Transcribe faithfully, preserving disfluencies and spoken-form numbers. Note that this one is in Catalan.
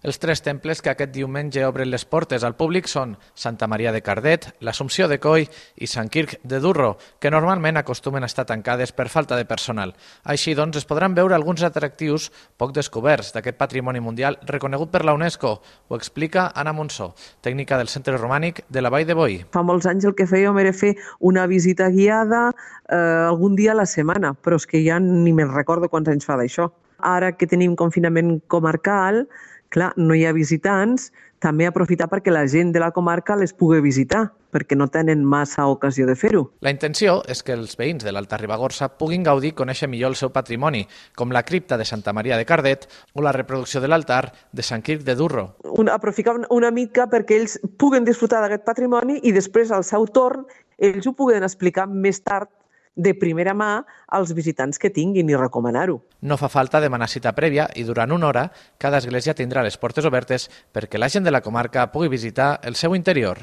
Els tres temples que aquest diumenge obren les portes al públic són Santa Maria de Cardet, l'Assumpció de Coi i Sant Quirc de Durro, que normalment acostumen a estar tancades per falta de personal. Així doncs, es podran veure alguns atractius poc descoberts d'aquest patrimoni mundial reconegut per la UNESCO. Ho explica Anna Monsó, tècnica del Centre Romànic de la Vall de Boí. Fa molts anys el que fèiem era fer una visita guiada eh, algun dia a la setmana, però és que ja ni me'n recordo quants anys fa d'això. Ara que tenim confinament comarcal, clar, no hi ha visitants, també aprofitar perquè la gent de la comarca les pugui visitar, perquè no tenen massa ocasió de fer-ho. La intenció és que els veïns de l'Alta Ribagorça puguin gaudir i conèixer millor el seu patrimoni, com la cripta de Santa Maria de Cardet o la reproducció de l'altar de Sant Quirc de Durro. Una, aprofitar una mica perquè ells puguen disfrutar d'aquest patrimoni i després, al seu torn, ells ho puguen explicar més tard de primera mà als visitants que tinguin i recomanar-ho. No fa falta demanar cita prèvia i durant una hora cada església tindrà les portes obertes perquè la gent de la comarca pugui visitar el seu interior.